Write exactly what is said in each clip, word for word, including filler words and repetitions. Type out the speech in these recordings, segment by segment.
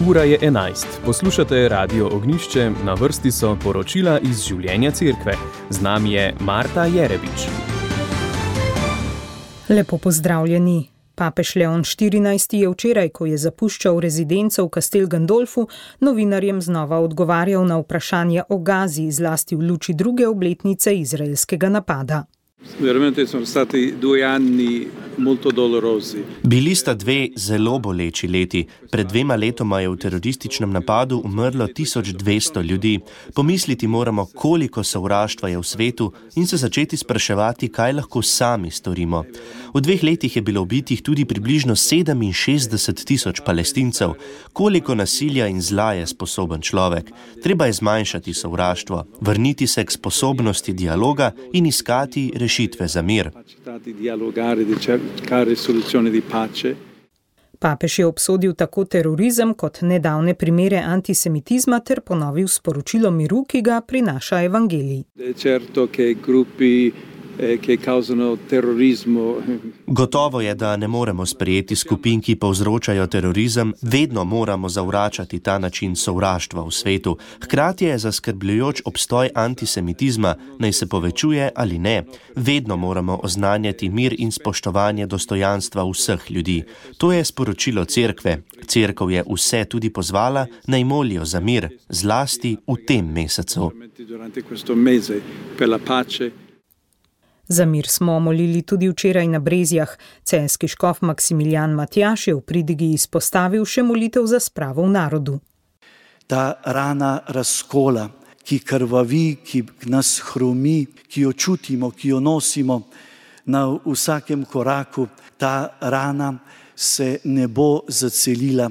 Ura je enajst. Poslušate Radio Ognjišče, na vrsti so poročila iz življenja cerkve. Z nami je Marta Jerebič. Lepo pozdravljeni. Papež Leon štirinajsti je včeraj, ko je zapuščal rezidenco v Castel Gandolfu, novinarjem znova odgovarjal na vprašanje o Gazi, zlasti v luči druge obletnice izraelskega napada. Veramente sono stati due anni molto dolorosi. Bili sta dve zelo boleči leti. Pred dvema letoma je v terorističnem napadu umrlo tisoč dvesto ljudi. Pomisliti moramo, koliko sovraštva je v svetu in se začeti spraševati, kaj lahko sami storimo. V dveh letih je bilo ubitih tudi približno sedeminšestdeset tisoč Palestincev. Koliko nasilja in zla je sposoben človek? Treba je zmanjšati sovraštvo, vrniti se k sposobnosti dialoga in iskati rešitve za mir. Papež je obsodil tako terorizem kot nedavne primere antisemitizma ter ponovil sporočilo miru, ki ga prinaša evangelij. Gotovo je, da ne moremo sprejeti skupin, ki povzročajo terorizem, vedno moramo zavračati ta način sovraštva v svetu. Hkrati je zaskrbljujoč obstoj antisemitizma, naj se povečuje ali ne. Vedno moramo oznanjati mir in spoštovanje dostojanstva vseh ljudi. To je sporočilo cerkve. Cerkev je vse tudi pozvala, naj molijo za mir, zlasti v tem mesecu. Za mir smo molili tudi včeraj na Brezjah. Celjski škof Maksimilijan Matjaž je v pridigi izpostavil še molitev za spravo v narodu. Ta rana razkola, ki krvavi, ki nas hromi, ki jo čutimo, ki jo nosimo na vsakem koraku, ta rana se ne bo zacelila,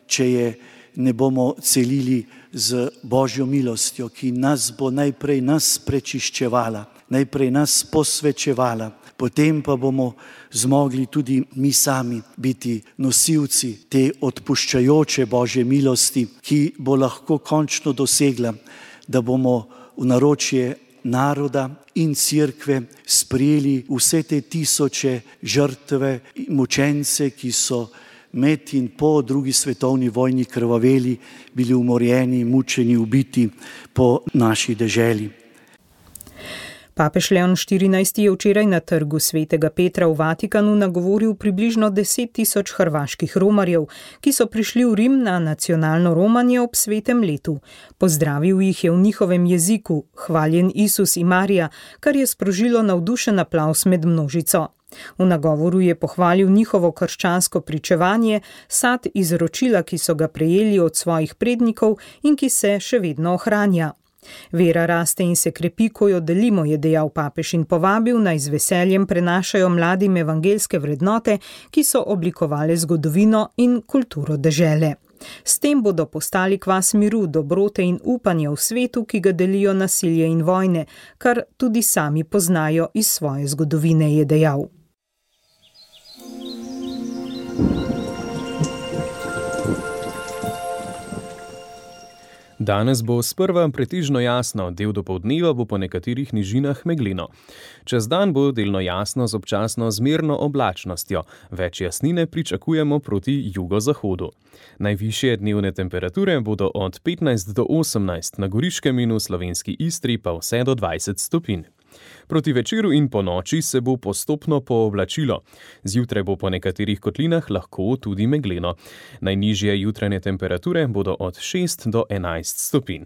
če je ne bomo celili z Božjo milostjo, ki nas bo najprej nas prečiščevala, najprej nas posvečevala, potem pa bomo zmogli tudi mi sami biti nosilci te odpuščajoče Božje milosti, ki bo lahko končno dosegla, da bomo v naročje naroda in cerkve sprejeli vse te tisoče žrtve, mučence, ki so med in po drugi svetovni vojni krvaveli, bili umorjeni, mučeni, ubiti po naši deželi. Papež Leon štirinajsti je včeraj na trgu Svetega Petra v Vatikanu nagovoril približno deset tisoč hrvaških romarjev, ki so prišli v Rim na nacionalno romanje ob svetem letu. Pozdravil jih je v njihovem jeziku, hvaljen Isus in Marija, kar je sprožilo navdušen aplavz med množico. V nagovoru je pohvalil njihovo krščansko pričevanje, sad izročila, ki so ga prejeli od svojih prednikov in ki se še vedno ohranja. Vera raste in se krepi, ko jo delimo, je dejal papež in povabil, naj z veseljem prenašajo mladim evangeljske vrednote, ki so oblikovale zgodovino in kulturo dežele. S tem bodo postali kvas miru, dobrote in upanja v svetu, ki ga delijo nasilje in vojne, kar tudi sami poznajo iz svoje zgodovine, je dejal. Danes bo sprva pretežno jasno, del dopoldneva bo po nekaterih nižinah megleno. Čez dan bo delno jasno z občasno zmerno oblačnostjo, več jasnine pričakujemo proti jugozahodu. Najvišje dnevne temperature bodo od petnajst do osemnajst, na Goriškem in v slovenski Istri pa vse do dvajset stopinj. Proti večeru in po noči se bo postopno pooblačilo. Zjutraj bo po nekaterih kotlinah lahko tudi megleno. Najnižje jutranje temperature bodo od šest do enajst stopinj.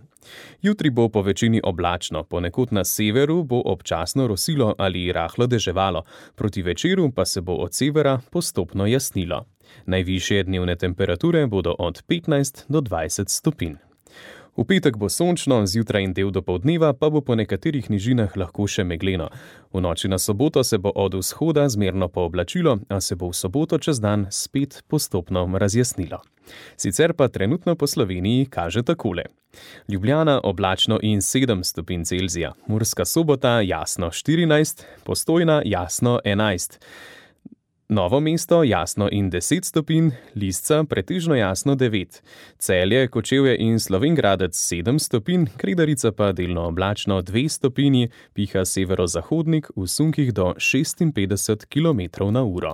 Jutri bo po večini oblačno, ponekod na severu bo občasno rosilo ali rahlo deževalo, proti večeru pa se bo od severa postopno jasnilo. Najvišje dnevne temperature bodo od petnajst do dvajset stopinj. V petek bo sončno, zjutraj in del dopoldneva pa bo po nekaterih nižinah lahko še megleno. V noči na soboto se bo od vzhoda zmerno pooblačilo, a se bo v soboto čez dan spet postopno razjasnilo. Sicer pa trenutno po Sloveniji kaže takole. Ljubljana oblačno in sedem stopinj Celzija, Murska Sobota jasno štirinajst, Postojna jasno enajst. Novo mesto jasno in deset stopinj, Lisca pretežno jasno devet, Celje, Kočevje in Slovenj Gradec sedem stopinj, Kredarica pa delno oblačno dve stopinji, piha severozahodnik v sunkih do šestinpetdeset kilometrov na uro.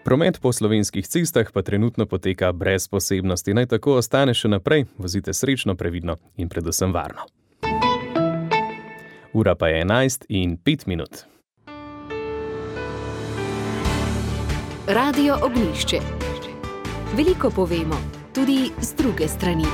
Promet po slovenskih cestah pa trenutno poteka brez posebnosti. Naj tako ostane še naprej, vozite srečno, previdno in predvsem varno. Ura pa je enajst in pet minut. Radio Ognjišče. Veliko povemo, tudi z druge strani.